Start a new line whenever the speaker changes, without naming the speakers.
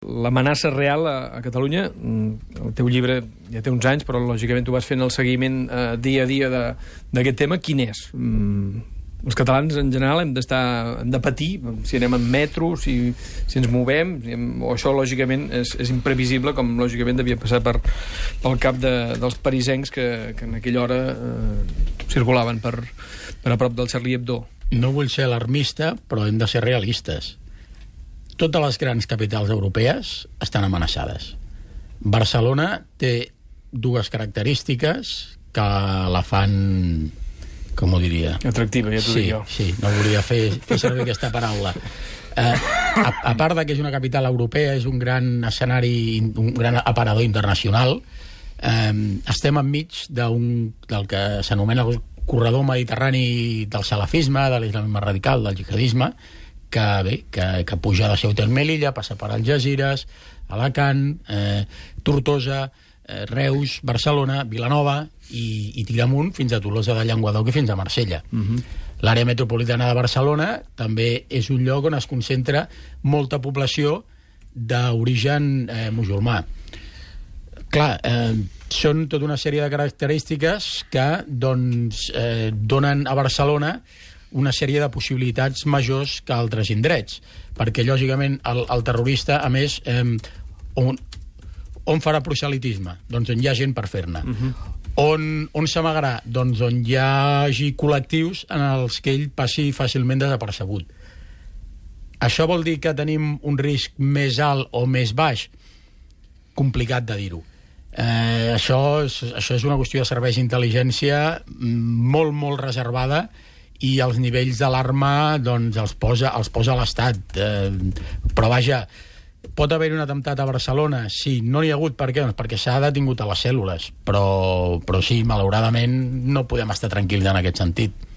L'amenaça real a Catalunya, el teu llibre ja té uns anys, però lògicament tu vas fent el seguiment dia a dia d'aquest tema. Quin és? Els catalans en general hem de patir si anem en metro, si ens movem, o això lògicament és imprevisible, com lògicament devia passar pel cap dels parisencs que en aquella hora circulaven per a prop del Charlie Hebdo.
No vull ser alarmista, però hem de ser realistes. Totes les grans capitals europees estan amenaçades. Barcelona té dues característiques que la fan, com ho diria?
Atractiva, ja t'ho dic jo.
Sí, no volia fer servir aquesta paraula. A part de que és una capital europea, és un gran escenari, un gran aparador internacional, estem enmig del que s'anomena el corredor mediterrani del salafisme, de l'islamisme radical, del jihadisme, que puja de Ceuta i Melilla, passa per Algesires, Alacant, Tortosa, Reus, Barcelona, Vilanova i tira amunt fins a Tolosa de Llenguadoc i fins a Marsella. L'àrea metropolitana de Barcelona també és un lloc on es concentra molta població d'origen musulmà. Clar, són tota una sèrie de característiques que donen a Barcelona una sèrie de possibilitats majors que altres indrets, perquè lògicament el terrorista, a més, on farà proselitisme? Doncs on hi ha gent per fer-ne. On s'amagarà? Doncs on hi hagi col·lectius en els que ell passi fàcilment desapercebut. Això vol dir que tenim un risc més alt o més baix? Complicat de dir-ho. Això és una qüestió de serveis d'intel·ligència molt, molt reservada, i els nivells d'alarma doncs, els posa l'Estat. Però vaja, pot haver un atemptat a Barcelona? Sí, no n'hi ha hagut. Per què? Doncs perquè s'ha detingut a les cèl·lules. Però sí, malauradament no podem estar tranquils en aquest sentit.